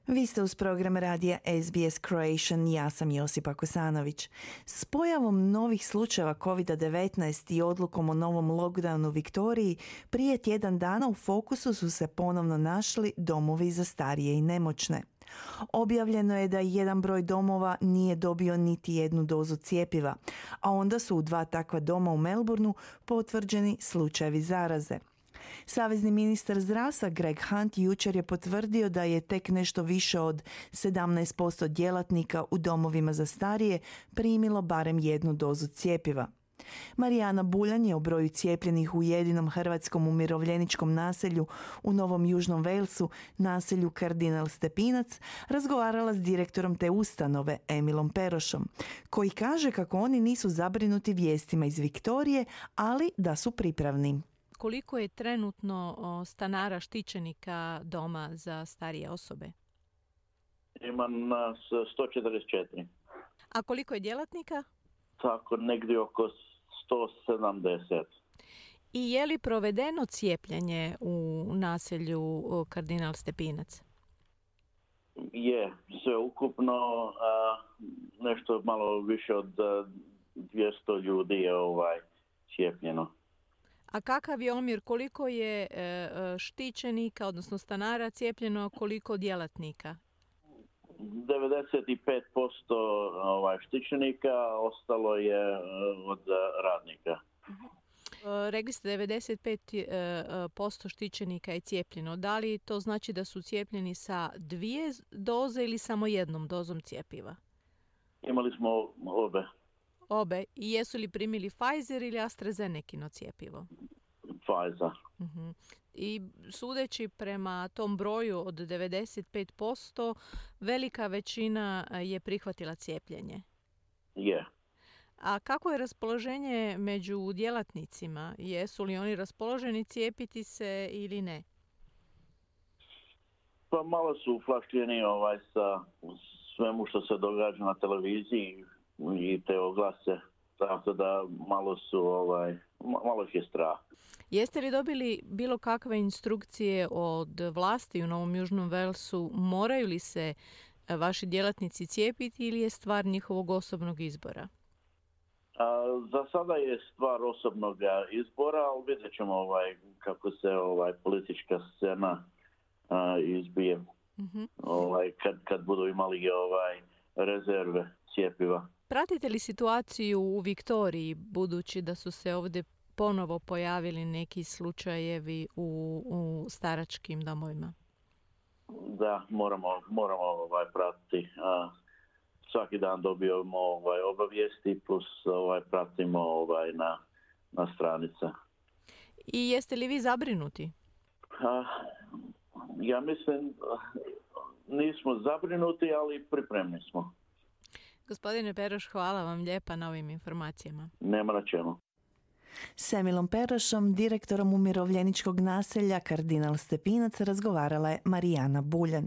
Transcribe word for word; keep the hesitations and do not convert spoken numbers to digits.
Vi ste uz program radija S B S Croatian, ja sam Josipa Kosanović. S pojavom novih slučajeva kovid devetnaest i odlukom o novom lockdownu u Viktoriji, prije tjedan dana u fokusu su se ponovno našli domovi za starije i nemoćne. Objavljeno je da jedan broj domova nije dobio niti jednu dozu cjepiva, a onda su u dva takva doma u Melbourneu potvrđeni slučajevi zaraze. Savezni ministar zdravstva Greg Hunt jučer je potvrdio da je tek nešto više od sedamnaest posto djelatnika u domovima za starije primilo barem jednu dozu cjepiva. Marijana Buljan je o broju cijepljenih u jedinom hrvatskom umirovljeničkom naselju u Novom Južnom Walesu, naselju Kardinal Stepinac, razgovarala s direktorom te ustanove, Emilom Perošom, koji kaže kako oni nisu zabrinuti vijestima iz Viktorije, ali da su pripravni. Koliko je trenutno stanara štićenika doma za starije osobe? Ima nas sto četrdeset četiri. A koliko je djelatnika? Tako, negdje oko sto sedamdeset. I je li provedeno cijepljenje u naselju Kardinal Stepinac? Je, sve ukupno a, nešto malo više od dvjesto ljudi je ovaj cijepljeno. A kakav je omjer, koliko je e, štićenika, odnosno stanara cijepljeno, koliko djelatnika? devedeset pet posto ovaj, štićenika, ostalo je od radnika. Uh-huh. Rekli ste devedeset pet posto štićenika je cijepljeno. Da li to znači da su cijepljeni sa dvije doze ili samo jednom dozom cjepiva? Imali smo obe. Obe. I jesu li primili Pfizer ili AstraZenecino cjepivo? Pfizer. Uh-huh. I sudeći prema tom broju od devedeset pet posto, velika većina je prihvatila cijepljenje. Je. A kako je raspoloženje među djelatnicima? Jesu li oni raspoloženi cijepiti se ili ne? Pa malo su uflašćeni ovaj, sa svemu što se događa na televiziji i te oglase. Tako da malo su, ovaj, malo ih je strah. Jeste li dobili bilo kakve instrukcije od vlasti u Novom Južnom Walesu? Moraju li se vaši djelatnici cijepiti ili je stvar njihovog osobnog izbora? A, za sada je stvar osobnog izbora, ali vidjet ćemo ovaj, kako se ovaj, politička scena a, izbije. Uh-huh. Ovaj, kad, kad budu imali ovaj, rezerve cijepiva. Pratite li situaciju u Viktoriji, budući da su se ovdje ponovo pojavili neki slučajevi u, u staračkim domovima? Da, moramo, moramo ovaj, pratiti. A, svaki dan dobijemo ovaj, obavijesti plus ovaj, pratimo ovaj, na, na stranica. I jeste li vi zabrinuti? A, ja mislim, nismo zabrinuti, ali pripremni smo. Gospodine Peroš, hvala vam lijepa na ovim informacijama. Nema na čemu. S Emilom Perošom, direktorom umirovljeničkog naselja Kardinal Stepinac, razgovarala je Marijana Buljan.